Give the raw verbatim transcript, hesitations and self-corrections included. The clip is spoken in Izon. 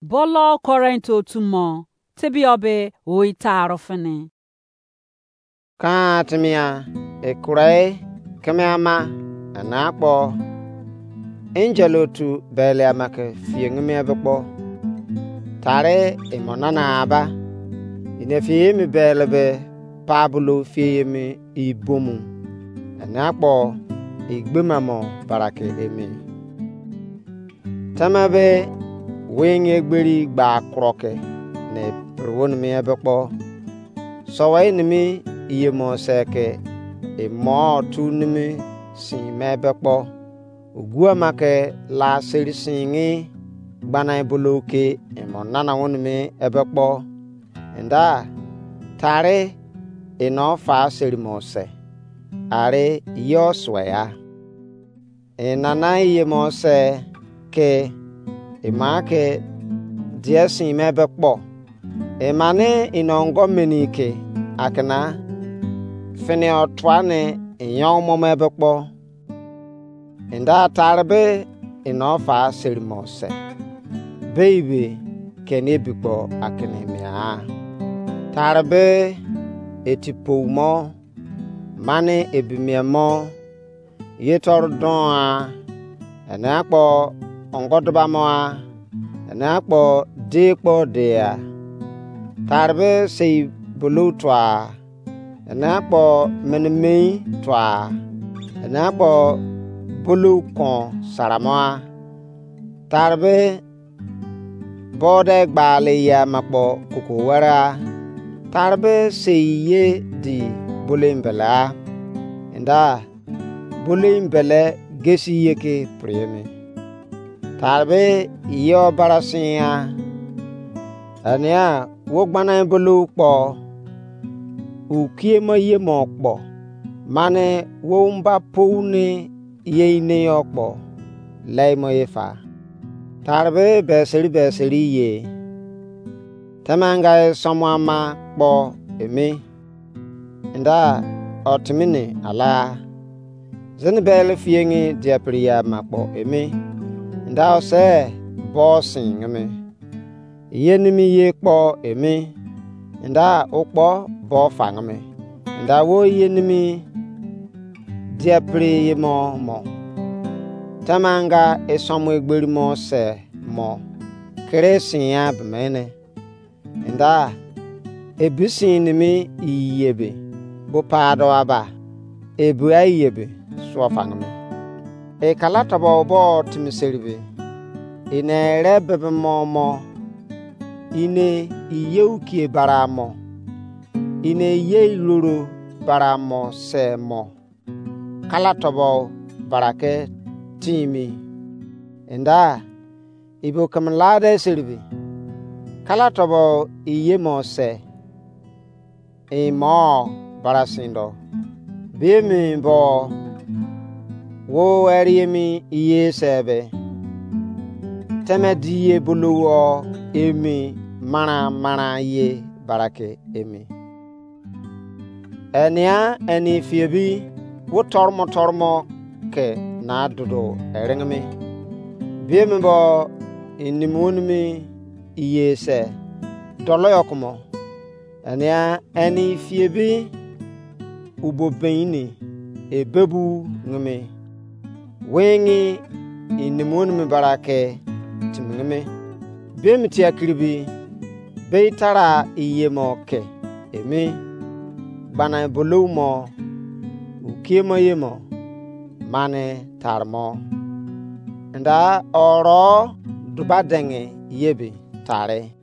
Bolo Korint otu mo, tebio be oi taro fini. Kan timia, ekurei keme ama, ena kpo, angel otu bele ama ke fiengimi ebe kpo. Tare emo nana aba. Ine fi emi bele be Pablo fi emi ibomu. Ena kpo igbema mo barake emi. Tama be wing egberi gba kroke ne perewonimi ebe kpo. Sowei nimi iyemo se ke emo tu nimi sin me be kpo. Ogu ama ke la seri singi gbana ebolo ke emo nana wonimi ebe kpo. Enda tare eno fa seri mo se. Are yo sweya. Enana iyemo se ke ema ke die sin me be kpo. Emane inongo meni ke akena fini otua ne iyon mo me be kpo. Enda tare be eno fa seri mo se. Beibe keni ebi kpo akene mia. Tare be eti pou mo, mane ebi mia mo, ye toro don a, ene akpo ongo duba mo a, ene akpo de kpo de a. Tare be sei bulu tua, ene akpo mene mei tua, ene akpo bulu kon saramo a. Tare be bode gbale ye ama kpo koko were a. Tare be sei ye di bulu embele a. Enda bulu embele gesi ye ke priyeme. Tare be yo barasin a. Ania wo gbana bulu kpo. Ukie mo ye mo kpo. Mane wo mba pou ne ye ine yo kpo. Lei mo ye fa. Tare be beseri beseri ye. Temanga e somo ama kpo emi. Enda otimini ala. Zini bele fiengi diapiri ya ama kpo emi. Enda ose bo singimi. Ye nimi ye kpo emi. Enda ukpo bo fangimi. Enda wo ye nimi diapiri ye mo mo. Temanga e somo egberi mo se mo. Kere sin ya bemene. Enda ebi sin nimi iyebe bo pado aba. Ebi ayebe suo fangimi. E kala tobo bo timi seribe. Ine ere bebe mo mo. Ine iye ukie bara mo. Ine iye iroro bara mo se mo. Kala tobo barake timi. Enda ibo keme lade seribe. Kala tobo iye mo se. Imo barasindo. Bemi bo wo eri emi iye sebe. Teme di ye buluwo emi mara mara ye barake emi. Enia eni fiebi wo tormo tormo ke na dudu eringimi. Bemi bo inimi wonimi iye se dolo yo kumo. Enia eni fiebi ubo beini ebebu ngimi. Wengi inimi wonimi barake timi ngimi. Bemi tia kiribi. Bei tara iye mo ke emi. Gbana bulu mo. Ukie mo ye mo. Mane tare mo. Enda oro duba denge ye bi tare.